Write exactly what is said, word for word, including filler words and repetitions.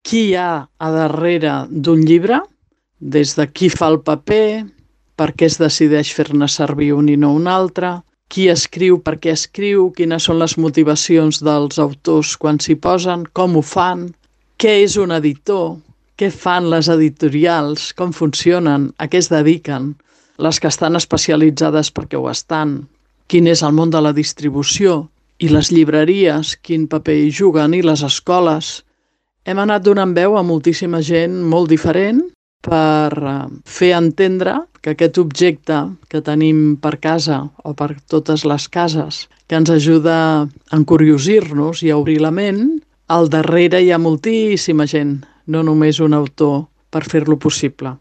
qui hi ha a darrere d'un llibre, des de qui fa el paper, per què es decideix fer-ne servir un i no un altre, qui escriu, per què escriu, quines són les motivacions dels autors quan s'hi posen, com ho fan, què és un editor, què fan les editorials, com funcionen, a què es dediquen, les que estan especialitzades perquè ho estan, quin és el món de la distribució i les llibreries, quin paper hi juguen, i les escoles. Hem anat donant veu a moltíssima gent molt diferent per fer entendre que aquest objecte que tenim per casa o per totes les cases, que ens ajuda a encuriosir-nos i a obrir la ment, al darrere hi ha moltíssima gent, no només un autor, per fer-lo possible.